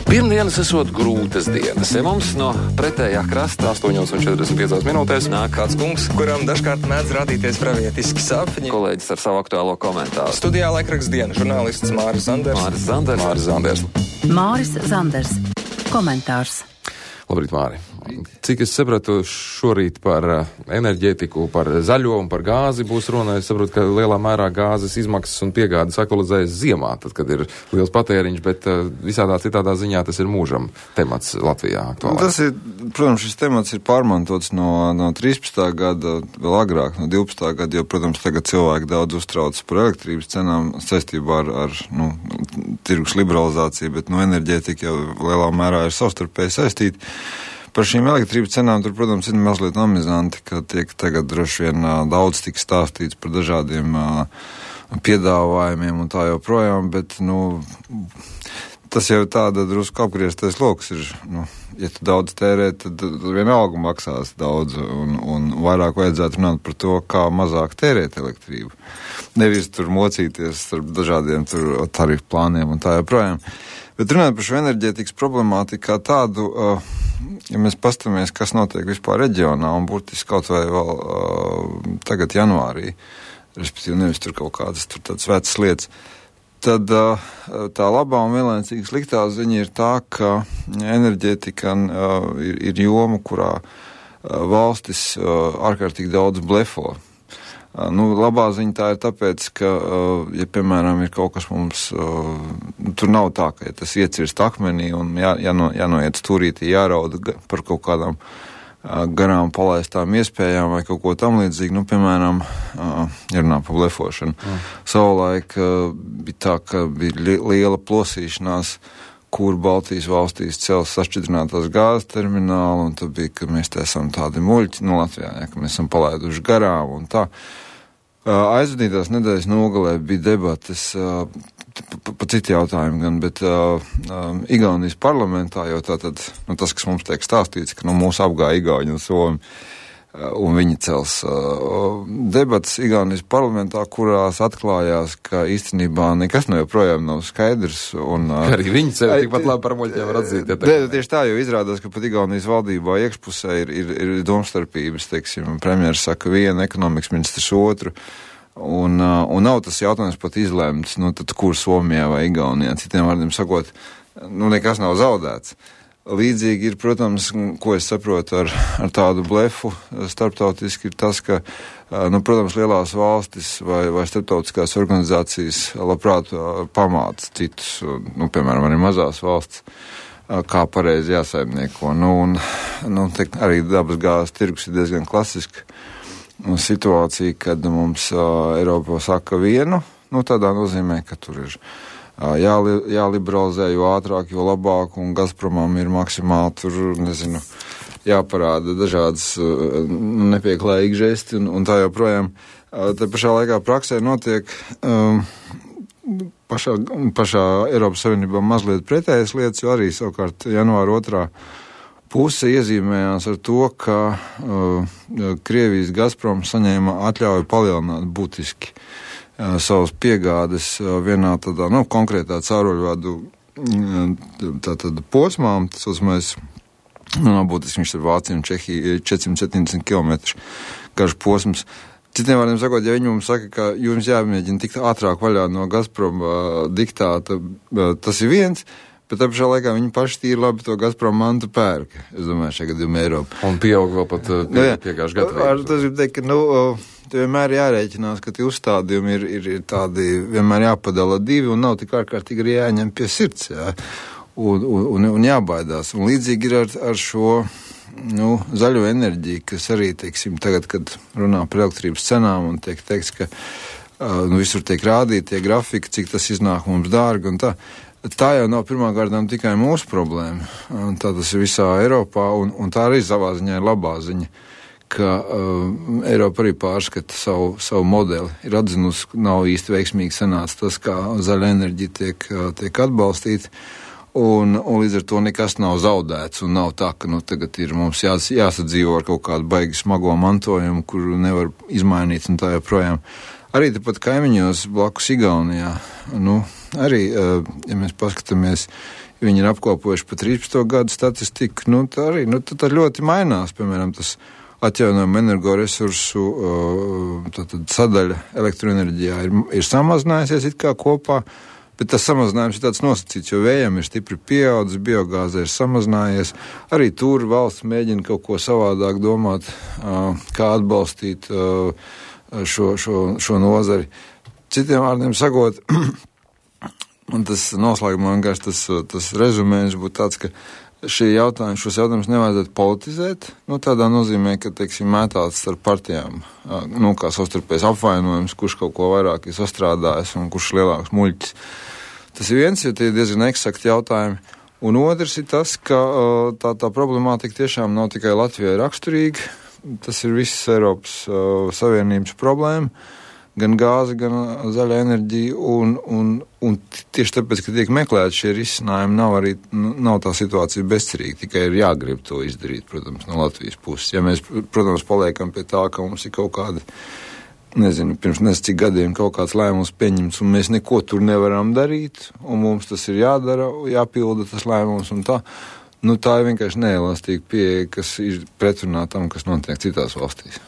Pirmdienas esot grūtas dienas. Ja mums no pretējā krasta 8:45 nāk kāds kungs, kuram dažkārt mēdz radīties pravietiski sapņi. Kolēģis ar savu aktuālo komentāru. Studijā laikraksts Diena žurnālists Māris Zanders. Māris Zanders. Komentārs. Labrīt, Māri. Cik es sapratu šorīt par enerģētiku, par zaļo un par gāzi būs runa, es saprotu, ka lielā mērā gāzes izmaksas un piegādes aktualizējas ziemā, tad, kad ir liels patēriņš, bet visādā citādā ziņā tas ir mūžam temats Latvijā aktuālāk. Tas ir, protams, šis temats ir pārmantots no 13. gada, vēl agrāk, no 12. gada, jo, protams, tagad cilvēki daudz uztrauc par elektrības cenām saistībā ar tirgus liberalizāciju, bet enerģētika jau lielā mērā ir savstarpēji saistīta. Par šīm elektrības cenām tur, protams, ir mazliet amizanti, ka tiek tagad droši vien daudz tik stāstīts par dažādiem piedāvājumiem un tā joprojām, bet, tas jau tāda drusku apgrieztais loks ir, ja tu daudz tērē, tad vienalga maksās daudz un vairāk vajadzētu runāt par to, kā mazāk tērēt elektrību. Nevis tur mocīties starp dažādiem tur tarifu plāniem un tā joprojām. Bet runājot par šo enerģētikas problemātiku kā tādu, ja mēs pastamies, kas notiek vispār reģionā un burtiski kaut vai vēl tagad janvārī, respektīvi nevis tur kaut kādas tur tādas vecas lietas, tad tā labā un vienlaicīgi sliktā ziņa ir tā, ka enerģētika ir joma, kurā valstis ārkārtīgi daudz blefo. Labā ziņa tā ir tāpēc, ka, ja, piemēram, ir kaut kas mums, tur nav tā, ka ja tas iecirst akmenī un jānoiet stūrītī, jārauda par kaut kādām garām palaistām iespējām vai kaut ko tam līdzīgi, piemēram, jārunā par blefošanu. Savulaik bija tā, ka bija liela plosīšanās, kur Baltijas valstīs cels sašķidrinātās gāzes terminālu, un tad bija, ka mēs te esam tādi muļķi, Latvijā, ka mēs esam palaiduši garām un tā. Aizvadītās nedēļas nogalē bija debates pa citu jautājumu gan, bet Igaunijas parlamentā, jo tātad, tas, kas mums tiek stāstīts, ka mūs apgāja Igauņi un Somi, un viņi cels debatas Igaunijas parlamentā, kurās atklājās, ka īstenībā nekas joprojām nav skaidrs. Arī viņi sevi tikpat labi par muļķiem var atzīt. Tieši tā, jo izrādās, ka pat Igaunijas valdībā iekšpusē ir domstarpības, teiksim, premjeras saka vienu, ekonomikas ministrs otru, un nav tas jautājums pat izlēmts, tad kur Somijā vai Igaunijā, citiem vārdiem sakot, nekas nav zaudēts. Līdzīgi ir, protams, ko es saprotu ar tādu blefu starptautiski, ir tas, ka, protams, lielās valstis vai starptautiskās organizācijas labprāt pamāca citus, piemēram, arī mazās valsts, kā pareizi jāsaimnieko. Arī dabas gāzes tirgus ir diezgan klasiska situācija, kad mums Eiropā saka vienu, tādā nozīmē, ka tur ir jāliberalizē, jo ātrāk, jo labāk, un Gazpromam ir maksimāli tur, jāparāda dažādas nepieklājīgi žesti un tā joprojām. Te pašā laikā praksē notiek pašā Eiropas Savienībā mazliet pretējas lietas, jo arī savukārt janvāra 2. puse iezīmējās ar to, ka Krievijas Gazprom saņēma atļauju palielināt būtiski savas piegādes vienā tādā, konkrētā cauruļvadu posmā, tas uzmēs, būtiski viņš ar Vāciju un Čehiju 470 km garš posms. Citiem vārdiem sakot, ja viņi mums saka, ka jums jāmēģina tikt ātrāk vaļā no Gazprom diktāta, tas ir viens, bet tā pašā laikā viņi paši tīri labi to Gazprom mantu pērka, es domāju, šajā gadījumā Eiropa. Un pieaug vēl pat piegājuši gadu. Tas ir teikt, ka, vienmēr jārēķinās, ka tie uzstādījumi ir tādi, vienmēr jāpadala divi un nav tik ārkārtīgi arī jāņem pie sirds, un jābaidās. Un līdzīgi ir ar šo, zaļo enerģiju, kas arī, teiksim, tagad, kad runā par elektrības cenām un tiek teikts, ka visur tiek rādīti tie grafiki, cik tas iznāk mums dārgi un tā. Tā jau nav pirmā kārtām tikai mūsu problēma. Tā tas ir visā Eiropā, un tā arī savā ziņā ir labā ziņa, ka Eiropa arī pārskata savu modeli. Ir atzinusi, ka nav īsti veiksmīgi sanāca tas, kā zaļa enerģija tiek atbalstīta, un līdz ar to nekas nav zaudēts, un nav tā, ka tagad ir mums jāsadzīvo ar kaut kādu baigi smago mantojumu, kuru nevar izmainīt un tā joprojām. Arī tepat kaimiņos blakus Igaunijā, arī, ja mēs paskatāmies, viņi ir apkopojuši pa 13. gadu statistiku, tā arī, tā ļoti mainās, piemēram, tas atjaunojumu energoresursu sadaļa elektroenerģijā ir samazinājusies it kā kopā, bet tas samazinājums ir tāds nosacīts, jo vējam ir stipri pieaudzis, biogāze ir samazinājies. Arī tur valsts mēģina kaut ko savādāk domāt, kā atbalstīt šo nozari. Citiem vārdiem sakot, un tas noslēgumā vienkārši tas rezumējums būtu tāds, ka šos jautājumus nevajadzētu politizēt, tādā nozīmē, ka, teiksim, mētāts starp partijām, kā savstarpējs apvainojums, kurš kaut ko vairāk ir sastrādājis un kurš lielāks muļķis. Tas ir viens, jo tie ir diezgan eksakti jautājumi. Un otrs ir tas, ka tā problemātika tiešām nav tikai Latvijai raksturīga. Tas ir viss Eiropas Savienības problēma, gan gāze, gan zaļa enerģija. Un tieši tāpēc, ka tiek meklēti šie risinājumi, nav tā situācija bezcerīga, tikai ir jāgrib to izdarīt, protams, no Latvijas puses. Ja mēs, protams, paliekam pie tā, ka mums ir kaut kādi, pirms cik gadiem kaut kāds lēmums pieņemts, un mēs neko tur nevaram darīt, un mums tas ir jādara, jāpilda tas lēmums, un tā. Tā ir vienkārši neelastīga pieeja, kas ir pretrunā tam, kas notiek citās valstīs.